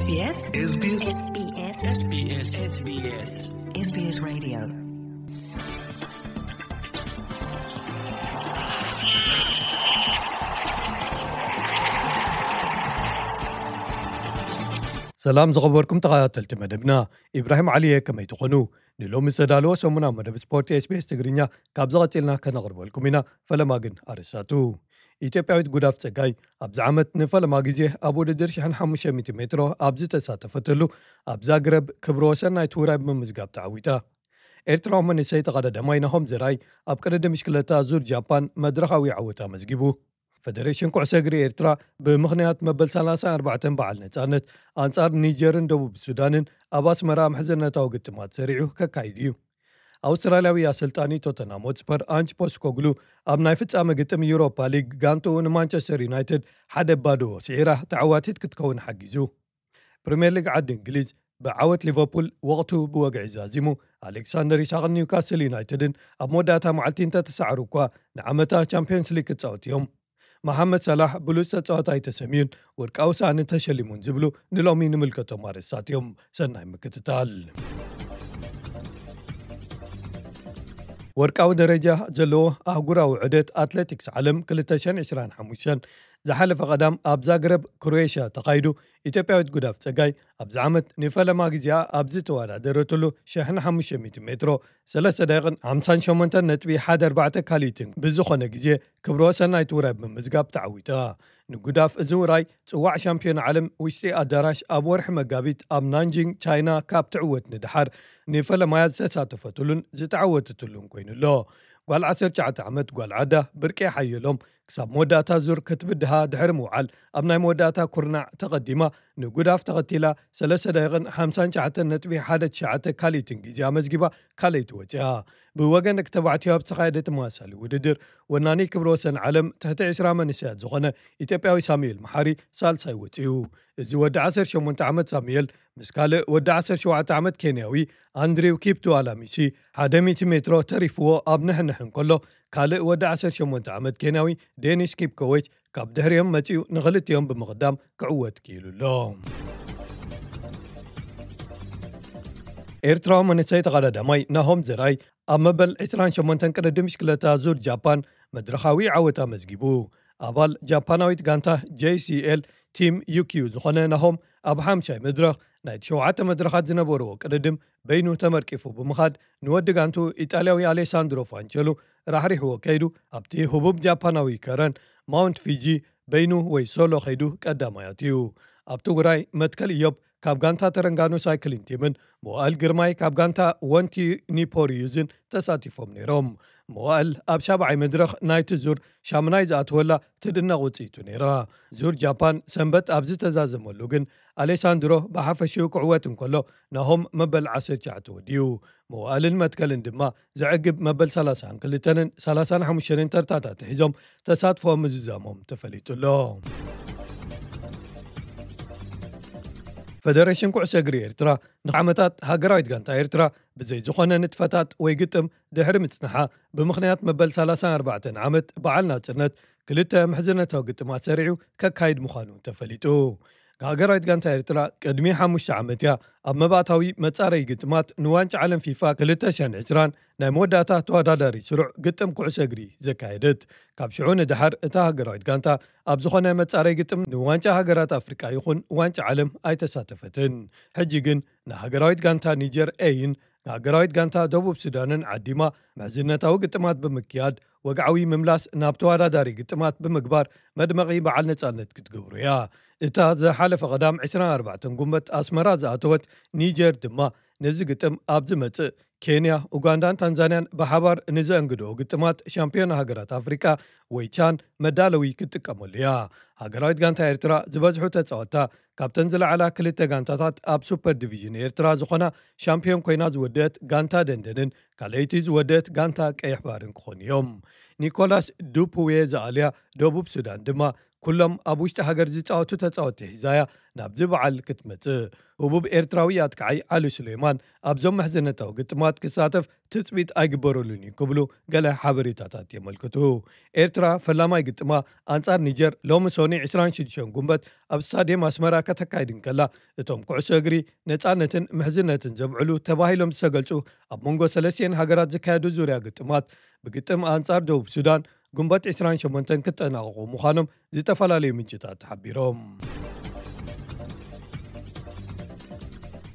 SBS SBS SBS SBS SBS Radio. ሰላም ዝኸበርኩም ተኸታተልቲ መደብና፣ ኢብራሂም ዓሊየ፣ ከመይ ትኾኑ? ንሎሚ ዝተዳለወ ሰሙናዊ መደብ ስፖርት SBS ትግርኛ ካብ ዝቐጽልና ከነቕርበልኩም ኢና። ፈለማ ግን ኣርእስታቱ። ኢትዮጵያዊት ጉዳፍ ጸጋይ ኣብዚ ዓመት ንፈለማ ግዜ ኣብ ውድድር ሽሕን ሓሙሽተ ሚእቲ ሜትሮ ኣብ ዝተሳተፈትሉ ኣብ ዛግረብ ክብረ ወሰን ናይቲ ውራይ ብምምዝጋብ ተዓዊታ። ኤርትራዊ መንእሰይ ተቐዳዳማይ ናሆም ዘርኣይ ኣብ ቅድድም ብሽክለታ ዙር ጃፓን መድረኻዊ ዓወት ኣመዝጊቡ። ፈደሬሽን ኩዕሶ እግሪ ኤርትራ ብምኽንያት መበል ሰላሳን ኣርባዕተን በዓል ነጻነት ኣንጻር ኒጀርን ደቡብ ሱዳንን ኣብ ኣስመራ ምሕዝነታዊ ግጥማት ሰሪዑ ከካይድ እዩ። ኣውስትራልያዊ ኣሰልጣኒ ቶተንሃም ሆትስፐር ኣንጅ ፖስኮግሉ ኣብ ናይ ፍጻመ ግጥም ዩሮፓ ሊግ ጋንትኡ ንማንቸስተር ዩናይትድ ሓደ ባዶ ስዒራ ተዓዋቲት ክትከውን ሓጊዙ። ፕሪምየር ሊግ ዓዲ እንግሊዝ ብዓወት ሊቨርፑል ወቕቱ ብወግዒ ዛዚሙ። ኣሌክሳንደር ኢሳቕን ኒውካስል ዩናይትድን ኣብ መወዳእታ መዓልቲ እንተተሳዕሩ እኳ ንዓመታ ቻምፒዮንስ ሊግ ክጻወቱ እዮም። መሓመድ ሳላሕ ብሉጽ ተጻዋታይ ተሰምዩን ወርቃዊ ሳእኒ ተሸሊሙን ዝብሉ ንሎሚ ንምልከቶም ኣርእስታት እዮም። ሰናይ ምክትታል። ወርቃዊ ደረጃ ዘለዎ ኣህጉራዊ ዑደት ኣትሌቲክስ ዓለም ክልተ ሽሕን ዕስራን ሓሙሽተን ዝሓለፈ ቀዳም ኣብ ዛግረብ ክሮኤሽያ ተኻይዱ። ኢትዮጵያዊት ጉዳፍ ጸጋይ ኣብዚ ዓመት ንፈለማ ግዜኣ ኣብ ዝተወዳደረትሉ ሽሕን ሓሙሽተ ሚእቲ ሜትሮ ሰለስተ ደቂቕን ሓምሳን ሸሞንተን ነጥቢ ሓደ ኣርባዕተ ካልኢትን ብዝኾነ ግዜ ክብረ ወሰን ናይቲ ውራይ ብምምዝጋብ ተዓዊታ። ንጉዳፍ እዚ ውራይ ጽዋዕ ሻምፒዮን ዓለም ውሽጢ ኣዳራሽ ኣብ ወርሒ መጋቢት ኣብ ናንጂንግ ቻይና ካብ ትዕወት ንደሓር ንፈለማያ ዝተሳተፈትሉን ዝተዓወተትሉን ኮይኑ ኣሎ። ጓል ዓሰርተ ትሽዓተ ዓመት ጓል ዓዳ ብርቄ ሓየሎም ክሳብ መወዳእታ ዙር ክትብድሃ ድሕሪ ምውዓል ኣብ ናይ መወዳእታ ኩርናዕ ተቐዲማ ንጉዳፍ ተኸቲላ ሰለስተ ደቂቕን ሓምሳን ትሽዓተን ነጥቢ ሓደ ትሽዓተ ካልኢትን ግዜ ኣመዝጊባ ካልኣይቲ ወፂኣ። ብወገን ደቂ ተባዕትዮ ኣብ ዝተኻየደ ተመሳሳሊ ውድድር ወናኒ ክብረ ወሰን ዓለም ትሕቲ ዕስራ መንእሰያት ዝኾነ ኢትዮጵያዊ ሳሙኤል መሓሪ ሳልሳይ ወፂኡ። እዚ ወዲ ዓሰርተ ሸሞንተ ዓመት ሳሙኤል ምስ ካልእ ወዲ ዓሰርተ ሸውዓተ ዓመት ኬንያዊ ኣንድሪው ኪፕቱ ኣላሚሲ ሓደ ሚእቲ ሜትሮ ተሪፍዎ ኣብ ንሕንሕ እንከሎ፣ ካልእ ወዲ ዓሰርተ ሸሞንተ ዓመት ኬንያዊ ዴኒስ ኪፕኮዌች ካብ ድሕሪኦም መጺኡ ንኽልቲኦም ብምቕዳም ክዕወት ክኢሉ ኣሎ። ኤርትራዊ መንእሰይ ተቐዳዳማይ ናሆም ዘርኣይ ኣብ መበል ዕስራን ሸሞንተን ቅድድም ብሽክለታ ዙር ጃፓን መድረኻዊ ዓወት ኣመዝጊቡ። ኣባል ጃፓናዊት ጋንታ ጄሲኤል ቲም ዩኪዩ ዝኾነ ናሆም ኣብ ሓምሻይ መድረኽ ናይቲ ሸውዓተ መድረኻት ዝነበርዎ ቅድድም በይኑ ተመርቂፉ ብምኻድ ንወዲ ጋንቱ ኢጣልያዊ ኣሌሳንድሮ ፋንቸሉ ራሕሪሕዎ ከይዱ ኣብቲ ህቡብ ጃፓናዊ ከረን ማውንት ፊጂ በይኑ ወይ ሶሎ ከይዱ ቀዳማይ ኣትዩ። ኣብቲ ውራይ መትከል እዮብ ካብ ጋንታ ተረንጋኑ ሳይክሊን ቲምን መዋእል ግርማይ ካብ ጋንታ ወንቲ ኒፖሪዩዝን ተሳቲፎም ነይሮም። መዋእል ኣብ ሻብዓይ መድረኽ ናይቲ ዙር ሻምናይ ዝኣትወላ ትድነቕ ውፅኢቱ ነይራ። ዙር ጃፓን ሰንበት ኣብ ዝተዛዘመሉ ግን ኣሌሳንድሮ ብሓፈሽኡ ክዕወት እንከሎ ናሆም መበል ዓሰርተ ትሽዓተ ወዲኡ። መዋእልን መትከልን ድማ ዘዕግብ መበል ሰላሳን ክልተን ሰላሳን ሓሙሽተን ተርታታት ሒዞም ተሳትፎ ምዝዛሞም ተፈሊጡ ኣሎ። ፈደሬሽን ኩዕሶ እግሪ ኤርትራ ንዓመታት ሃገራዊት ጋንታ ኤርትራ ብዘይ ዝኾነ ንጥፈታት ወይ ግጥም ድሕሪ ምጽንሓ ብምኽንያት መበል ሰላሳን ኣርባዕተን ዓመት በዓል ናጽነት ክልተ ምሕዝነታዊ ግጥማት ሰሪዑ ከካይድ ምዃኑ ተፈሊጡ። ሃገራዊት ጋንታ ኤርትራ ቅድሚ ሓሙሽተ ዓመት እያ ኣብ መባእታዊ መጻረይ ግጥማት ንዋንጫ ዓለም ፊፋ ክልተ ሽሕን ዕስራን ናይ መወዳእታ ተወዳዳሪ ስሩዕ ግጥም ኩዕሶ እግሪ ዘካየደት። ካብ ሽዑ ንደሓር እታ ሃገራዊት ጋንታ ኣብ ዝኾነ መጻረይ ግጥም ንዋንጫ ሃገራት ኣፍሪቃ ይኹን ዋንጫ ዓለም ኣይተሳተፈትን። ሕጂ ግን ንሃገራዊት ጋንታ ኒጀር ኤይን ንሃገራዊት ጋንታ ደቡብ ሱዳንን ዓዲማ ምሕዝነታዊ ግጥማት ብምክያድ ወግዓዊ ምምላስ ናብ ተወዳዳሪ ግጥማት ብምግባር መድመቒ በዓል ነጻነት ክትገብሮ እያ። እታ ዝሓለፈ ቀዳም ዕስራን ኣርባዕተን ጉንበት ኣስመራ ዝኣተወት ኒጀር ድማ ነዚ ግጥም ኣብ ዝመጽእ ኬንያ፣ ኡጋንዳን ታንዛንያን ብሓባር ንዘእንግድኦ ግጥማት ሻምፒዮን ሃገራት ኣፍሪቃ ወይ ቻን መዳለዊ ክትጥቀመሉ እያ። ሃገራዊት ጋንታ ኤርትራ ዝበዝሑ ተጻወትታ ካብተን ዝለዓላ ክልተ ጋንታታት ኣብ ሱፐር ዲቪዥን ኤርትራ ዝኾና ሻምፒዮን ኮይና ዝወደአት ጋንታ ደንደንን ካልኣይቲ ዝወደአት ጋንታ ቀይሕ ባርን ክኾኑ እዮም። ኒኮላስ ዱፕዌ ዝኣልያ ደቡብ ሱዳን ድማ ኩሎም ኣብ ውሽጢ ሃገር ዝጻወቱ ተጻወትቲ ሒዛያ ናብዚ በዓል ክትመጽእ። ህቡብ ኤርትራዊ ኣጥቃዓይ ዓሊ ሱሌማን ኣብዞም መሕዘነታዊ ግጥማት ክሳተፍ ትጽቢት ኣይግበረሉን እዩ ክብሉ ገለ ሓበሬታታት የመልክቱ። ኤርትራ ፈላማይ ግጥማ ኣንጻር ኒጀር ሎሚ ሶኒ ዕስራን ሽዱሽተን ጉንበት ኣብ ስታድየም ኣስመራ ከተካይድ እንከላ፣ እቶም ኩዕሶ እግሪ ነጻነትን ምሕዝነትን ዘብዕሉ ተባሂሎም ዝተገልጹ ኣብ መንጎ ሰለስቲኤን ሃገራት ዝካየዱ ዙርያ ግጥማት ብግጥም ኣንጻር ደቡብ ሱዳን ጉንበት ዕስራን ሸሞንተን ክጠናቐቑ ምዃኖም ዝተፈላለዩ ምንጭታት ሓቢሮም።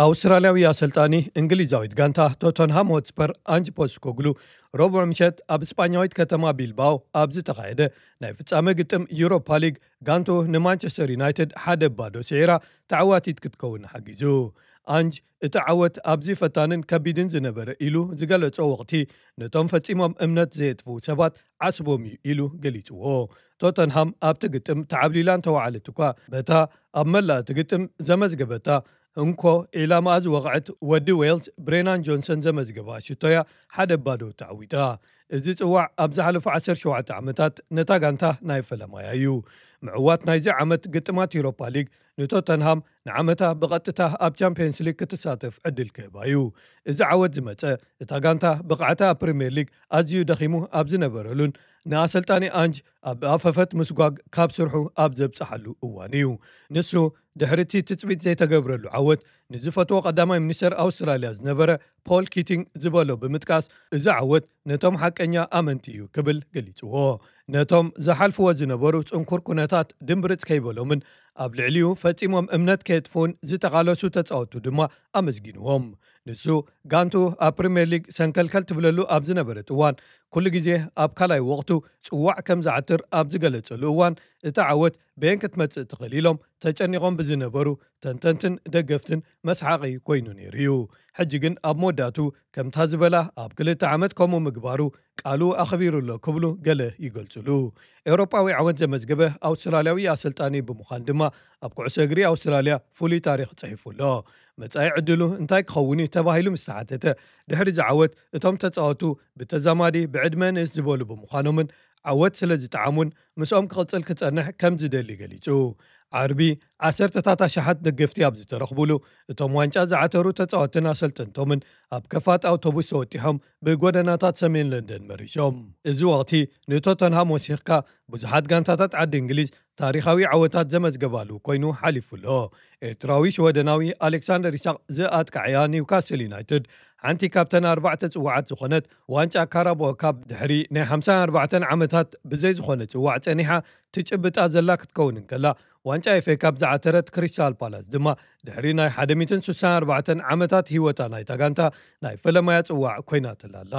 ኣውስትራልያዊ ኣሰልጣኒ እንግሊዛዊት ጋንታ ቶተንሃም ሆትስፐር ኣንጅ ፖስኮግሉ ረቡዕ ምሸት ኣብ ስጳኛዊት ከተማ ቢልባኦ ኣብ ዝተኻየደ ናይ ፍጻመ ግጥም ዩሮፓ ሊግ ጋንቱ ንማንቸስተር ዩናይትድ ሓደ ባዶ ስዒራ ተዓዋቲት ክትከውን ሓጊዙ። ኣንጅ እቲ ዓወት ኣብዚ ፈታንን ከቢድን ዝነበረ ኢሉ ዝገለጾ ወቕቲ ነቶም ፈጺሞም እምነት ዘየጥፍኡ ሰባት ዓስቦም እዩ ኢሉ ገሊጽዎ። ቶተንሃም ኣብቲ ግጥም ተዓብሊላ እንተወዓለት እኳ በታ ኣብ መላእ እቲ ግጥም ዘመዝገበታ እንኮ ዒላማኣ ዝወቕዐት ወዲ ዌልስ ብሬናን ጆንሰን ዘመዝገባ ሽቶያ ሓደ ባዶ ተዓዊታ። እዚ ጽዋዕ ኣብ ዝሓለፉ ዓሰርተ ሸውዓተ ዓመታት ነታ ጋንታ ናይ ፈለማያ እዩ። ምዕዋት ናይዚ ዓመት ግጥማት ዩሮፓ ሊግ ንቶተንሃም ንዓመታ ብቐጥታ ኣብ ቻምፒየንስ ሊግ ክትሳተፍ ዕድል ክህባ እዩ። እዚ ዓወት ዝመጸ እታ ጋንታ ብቕዓታ ኣብ ፕሪምየር ሊግ ኣዝዩ ደኺሙ ኣብ ዝነበረሉን ንኣሰልጣኒ ኣንጅ ኣብ ኣፈፈት ምስጓግ ካብ ስርሑ ኣብ ዘብጽሓሉ እዋን እዩ። ንሱ ድሕሪ እቲ ትጽቢት ዘይተገብረሉ ዓወት ንዝፈትዎ ቀዳማይ ሚኒስተር ኣውስትራልያ ዝነበረ ፖል ኪቲንግ ዝበሎ ብምጥቃስ፣ እዚ ዓወት ነቶም ሓቀኛ ኣመንቲ እዩ ክብል ገሊጽዎ። ነቶም ዝሓልፍዎ ዝነበሩ ጽንኩር ኩነታት ድምብርጽ ከይበሎምን ኣብ ልዕሊኡ ፈጺሞም እምነት ከየጥፍኡን ዝተቓለሱ ተጻወቱ ድማ ኣመስጊንዎም። ንሱ ጋንቱ ኣብ ፕሪምየር ሊግ ሰንከልከል ትብለሉ ኣብ ዝነበረት እዋን፣ ኩሉ ግዜ ኣብ ካልኣይ ወቕቱ ጽዋዕ ከም ዝዓትር ኣብ ዝገለጸሉ እዋን፣ እቲ ዓወት በየን ክትመጽእ ትኽእል ኢሎም ተጨኒቖም ብዝነበሩ ተንተንትን ደገፍትን መስሓቒ ኮይኑ ነይሩ እዩ። ሕጂ ግን ኣብ መወዳእቱ ከምታ ዝበላ ኣብ ክልተ ዓመት ከምኡ ምግባሩ ቃሉ ኣኽቢሩ ኣሎ ክብሉ ገለ ይገልጹሉ። ኤውሮጳዊ ዓወት ዘመዝገበ ኣውስትራልያዊ ኣሰልጣኒ ብምዃን ድማ ኣብ ኩዕሶ እግሪ ኣውስትራልያ ፍሉይ ታሪኽ ጽሒፉ ኣሎ። መጻኢ ዕድሉ እንታይ ክኸውን እዩ ተባሂሉ ምስ ተሓተተ፣ ድሕሪ እዚ ዓወት እቶም ተጻወቱ ብተዛማዲ ብዕድመ ንእስ ዝበሉ ብምዃኖምን ዓወት ስለ ዝጠዓሙን ምስኦም ክቕጽል ክጸንሕ ከም ዝደሊ ገሊጹ። ዓርቢ ዓሰርተታት ኣሽሓት ደገፍቲ ኣብ ዝተረኽቡሉ፣ እቶም ዋንጫ ዝዓተሩ ተጻወትን ኣሰልጠንቶምን ኣብ ከፋት ኣውቶቡስ ተወጢሖም ብጎደናታት ሰሜን ለንደን መሪሾም። እዚ ወቕቲ ንቶተንሃም ወሲኽካ ብዙሓት ጋንታታት ዓዲ እንግሊዝ ታሪኻዊ ዓወታት ዘመዝገባሉ ኮይኑ ሓሊፉ ኣሎ። ኤርትራዊ ሽወደናዊ ኣሌክሳንደር ኢሳቕ ዝኣጥቃዕያ ኒውካስል ዩናይትድ ሓንቲ ካብተን ኣርባዕተ ጽዋዓት ዝኾነት ዋንጫ ካራባኦ ካፕ ድሕሪ ናይ ሓምሳን ኣርባዕተን ዓመታት ብዘይ ዝኾነ ጽዋዕ ጸኒሓ ትጭብጣ ዘላ ክትከውን እንከላ፣ ዋንጫ ኤፍ ኤ ካፕ ዝዓተረት ክሪስታል ፓላስ ድማ ድሕሪ ናይ ሓደ ሚእትን ስሳን ኣርባዕተን ዓመታት ህይወታ ናይታ ጋንታ ናይ ፈለማያ ጽዋዕ ኮይናትላ ኣላ።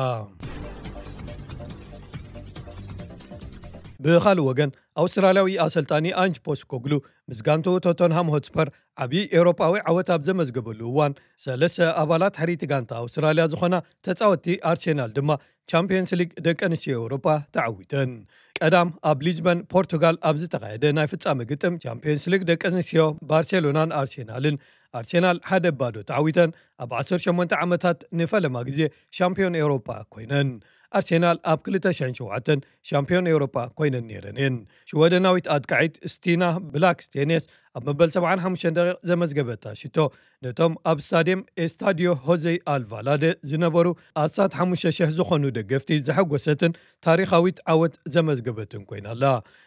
ብኻልእ ወገን፣ ኣውስትራልያዊ ኣሰልጣኒ ኣንጅ ፖስኮግሉ ምስ ጋንቱ ቶተንሃም ሆትስፐር ዓብዪ ኤውሮጳዊ ዓወት ኣብ ዘመዝገበሉ እዋን፣ ሰለስተ ኣባላት ሕርይቲ ጋንታ ኣውስትራልያ ዝኾና ተጻወትቲ ኣርሴናል ድማ ቻምፒየንስ ሊግ ደቂ ኣንስትዮ ኤውሮጳ ተዓዊተን። ቀዳም ኣብ ሊዝበን ፖርቱጋል ኣብ ዝተኻየደ ናይ ፍጻመ ግጥም ቻምፒየንስ ሊግ ደቂ ኣንስትዮ ባርሴሎናን ኣርሴናልን ኣርሴናል ሓደ ባዶ ተዓዊተን ኣብ ዓሰርተ ሸሞንተ ዓመታት ንፈለማ ግዜ ሻምፒዮን ኤውሮጳ ኮይነን። ኣርሴናል ኣብ ክልተ ሽሕን ሸውዓተን ሻምፒዮን ኤውሮጳ ኮይነን ነይረን እየን። ሽወደናዊት ኣጥቃዒት ስቲና ብላክስቴኔስ ኣብ መበል ሰብዓን ሓሙሽተን ደቂቕ ዘመዝገበታ ሽቶ ነቶም ኣብ ስታድየም ኤስታዲዮ ሆዜ ኣልቫላደ ዝነበሩ ኣስታት ሓሙሽተ ሽሕ ዝኾኑ ደገፍቲ ዘሐጎሰትን ታሪኻዊት ዓወት ዘመዝገበትን ኮይና ኣላ።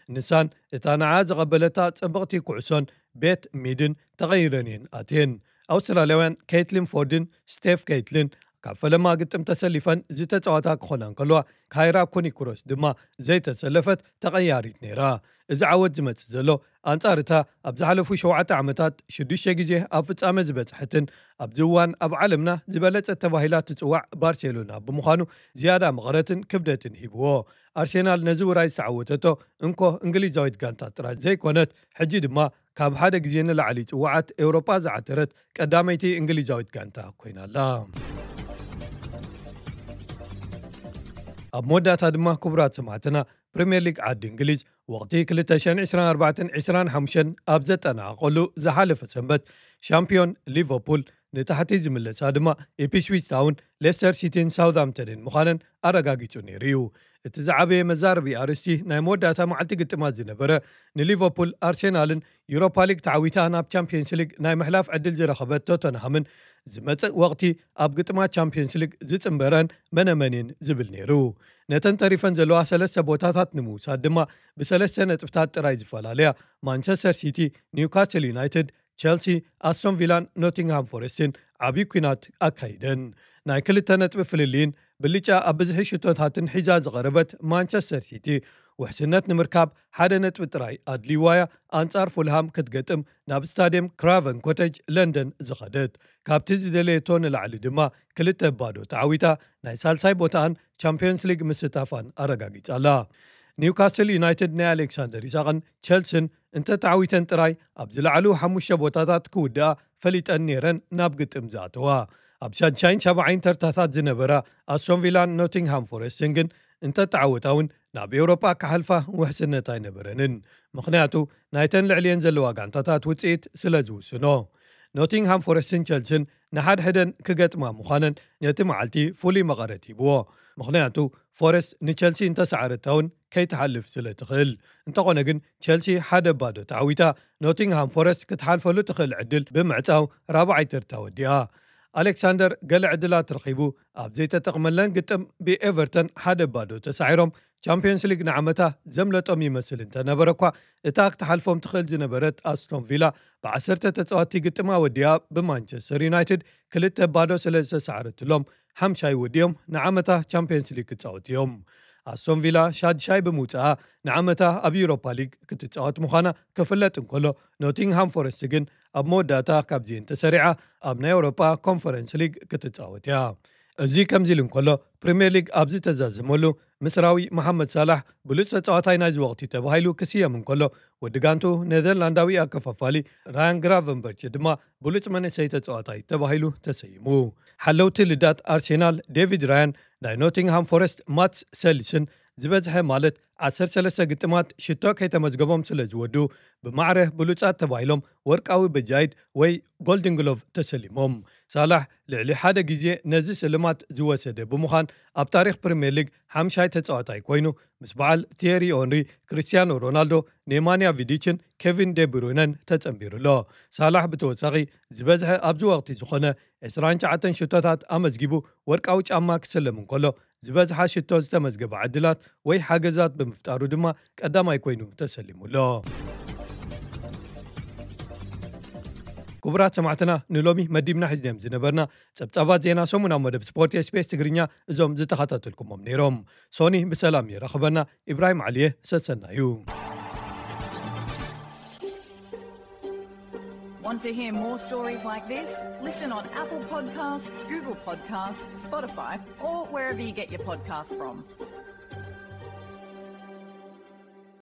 ንሳን እታ ንዓ ዝቐበለታ ጽብቕቲ ኩዕሶን ቤት ሚድን ተቐይረን እየን ኣትየን። ኣውስትራልያውያን ኬትሊን ፎርድን ስቴፍ ኬትሊን ካብ ፈለማ ግጥም ተሰሊፈን ዝተጻወታ ክኾና እንከለዋ፣ ካይራ ኩኒክሮስ ድማ ዘይተሰለፈት ተቐያሪት ነይራ። እዚ ዓወት ዝመጽእ ዘሎ ኣንጻር እታ ኣብ ዝሓለፉ ሸውዓተ ዓመታት ሽዱሽተ ግዜ ኣብ ፍጻመ ዝበጽሐትን ኣብዚ እዋን ኣብ ዓለምና ዝበለጸት ተባሂላ ትጽዋዕ ባርሴሎና ብምዃኑ ዝያዳ መቐረትን ክብደትን ሂብዎ። ኣርሴናል ነዚ ውራይ ዝተዓወተቶ እንኮ እንግሊዛዊት ጋንታ ጥራይ ዘይኮነት፣ ሕጂ ድማ ካብ ሓደ ግዜ ንላዕሊ ጽዋዓት ኤውሮጳ ዝዓተረት ቀዳመይቲ እንግሊዛዊት ጋንታ ኮይና ኣላ። ኣብ መወዳእታ ድማ ክቡራት ሰማዕትና፣ ፕሪምየር ሊግ ዓዲ እንግሊዝ ወቕቲ ክልተ ሽሕን ዕስራን ኣርባዕተን ዕስራን ሓሙሽተን ኣብ ዘጠናቐቐሉ ዝሓለፈ ሰንበት ሻምፒዮን ሊቨርፑል ንታሕቲ ዝምለሳ ድማ ኢፕስዊች ታውን፣ ሌስተር ሲቲን ሳውዝሃምፕተንን ምዃነን ኣረጋጊጹ ነይሩ እዩ። እቲ ዝዓበየ መዛረቢ ኣርእስቲ ናይ መወዳእታ መዓልቲ ግጥማት ዝነበረ፣ ንሊቨርፑል ኣርሴናልን ዩሮፓ ሊግ ተዓዊታ ናብ ቻምፒየንስ ሊግ ናይ ምሕላፍ ዕድል ዝረኸበት ቶተንሃምን ዝመጽእ ወቕቲ ኣብ ግጥማት ቻምፒየንስ ሊግ ዝጽንበረን መነመንን ዝብል ነይሩ። ነተን ተሪፈን ዘለዋ ሰለስተ ቦታታት ንምውሳድ ድማ ብሰለስተ ነጥብታት ጥራይ ዝፈላለያ ማንቸስተር ሲቲ፣ ኒውካስል ዩናይትድ፣ ቸልሲ፣ ኣስቶን ቪላን ኖቲንግሃም ፎረስትን ዓብዪ ኲናት ኣካይደን። ናይ ክልተ ነጥቢ ፍልልይን ብልጫ ኣብ ብዝሒ ሽቶታትን ሒዛ ዝቐረበት ማንቸስተር ሲቲ፣ ውሕስነት ንምርካብ ሓደ ነጥቢ ጥራይ ኣድልይዋያ ኣንጻር ፉልሃም ክትገጥም ናብ ስታድየም ክራቨን ኮተጅ ለንደን ዝኸደት። ካብቲ ዝደለየቶ ንላዕሊ ድማ ክልተ ባዶ ተዓዊታ ናይ ሳልሳይ ቦታኣን ቻምፒዮንስ ሊግ ምስታፋን ኣረጋጊጻ ኣላ። ኒውካስል ዩናይትድ ናይ ኣሌክሳንደር ኢሳቕን ቸልስን እንተተዓዊተን ጥራይ ኣብ ዝለዓሉ ሓሙሽተ ቦታታት ክውድኣ ፈሊጠን ነይረን ናብ ግጥም ዝኣተዋ። ኣብ ሻድሻይን ሻብዓይን ተርታታት ዝነበራ ኣስቶን ቪላን ኖቲንግሃም ፎረስትን ግን እንተተዓወታ እውን ናብ ኤውሮጳ ክሓልፋ ውሕስነት ኣይነበረንን። ምኽንያቱ ናይተን ልዕልየን ዘለዋ ጋንታታት ውጽኢት ስለ ዝውስኖ። ኖቲንግሃም ፎረስትን ቸልስን ንሓድሕደን ክገጥማ ምዃነን ነቲ መዓልቲ ፍሉይ መቐረት ሂብዎ። ምኽንያቱ ፎረስት ንቸልሲ እንተሰዓረታ እውን ከይትሓልፍ ስለ ትኽእል። እንተኾነ ግን ቸልሲ ሓደ ባዶ ተዓዊታ ኖቲንግሃም ፎረስት ክትሓልፈሉ ትኽእል ዕድል ብምዕጻው ራብዓይ ተርታ ወዲኣ። ኣሌክሳንደር ገለ ዕድላት ረኺቡ ኣብ ዘይተጠቕመለን ግጥም ብኤቨርተን ሓደ ባዶ ተሳዒሮም ቻምፒዮንስ ሊግ ንዓመታ ዘምለጦም ይመስል እንተነበረ እኳ እታ ክትሓልፎም ትኽእል ዝነበረት ኣስቶን ቪላ ብዓሰርተ ተጻወትቲ ግጥማ ወዲኣ ብማንቸስተር ዩናይትድ ክልተ ባዶ ስለ ዝተሳዕረትሎም ሓምሻይ ወዲኦም ንዓመታ ቻምፒዮንስ ሊግ ክጻወቱ እዮም። ኣስቶን ቪላ ሻድሻይ ብምውፅኣ ንዓመታ ኣብ ዩሮፓ ሊግ ክትጻወት ምዃና ክፍለጥ እንከሎ ኖቲንግሃም ፎረስት ግን ኣብ መወዳእታ ካብዚኤን ተሰሪዓ ኣብ ናይ ኣውሮፓ ኮንፈረንስ ሊግ ክትጻወት እያ። እዚ ከምዚ ኢሉ እንከሎ ፕሪምየር ሊግ ኣብ ዝተዛዘመሉ ምስራዊ መሓመድ ሳላሕ ብሉፅ ተጻዋታይ ናይዚ ወቕቲ ተባሂሉ ክስየም እንከሎ ወዲ ጋንቱ ኔዘርላንዳዊ ኣከፋፋሊ ራያን ግራቨንበርች ድማ ብሉፅ መንእሰይ ተጻዋታይ ተባሂሉ ተሰይሙ። ሓለውቲ ልዳት ኣርሴናል ዴቪድ ራያን ናይ ኖቲንግሃም ፎረስት ማትስ ሰሊስን ዝበዝሐ ማለት ዓሰርተ ሰለስተ ግጥማት ሽቶ ከይተመዝገቦም ስለ ዝወዱ ብማዕረ ብሉጻት ተባሂሎም ወርቃዊ በጃይድ ወይ ጎልድን ግሎቭ ተሰሊሞም። ሳላሕ ልዕሊ ሓደ ግዜ ነዚ ስልማት ዝወሰደ ብምዃን ኣብ ታሪኽ ፕሪምየር ሊግ ሓምሻይ ተጻዋታይ ኮይኑ ምስ በዓል ቲየሪ ኦንሪ፣ ክርስቲያኖ ሮናልዶ፣ ኔማንያ ቪዲችን ኬቪን ዴብሩይነን ተጸንቢሩ ኣሎ። ሳላሕ ብተወሳኺ ዝበዝሐ ኣብዚ ወቕቲ ዝኾነ ዕስራን ትሽዓተን ሽቶታት ኣመዝጊቡ ወርቃዊ ጫማ ክስለም እንከሎ ዝበዝሓ ሽቶ ዝተመዝገበ ዕድላት ወይ ሓገዛት ብምፍጣሩ ድማ ቀዳማይ ኮይኑ ተሰሊሙ ኣሎ። ክቡራት ሰማዕትና ንሎሚ መዲብና ሒዝናዮም ዝነበርና ጸብጻባት ዜና ሰሙናዊ መደብ ስፖርት ኤስቢኤስ ትግርኛ እዞም ዝተኸታተልኩሞም ነይሮም። ሶኒ ብሰላም የራኽበና። ኢብራሂም ዓሊየ ሰሰና እዩ። Want to hear more stories like this? Listen on Apple Podcasts, Google Podcasts, Spotify, or wherever you get your podcasts from.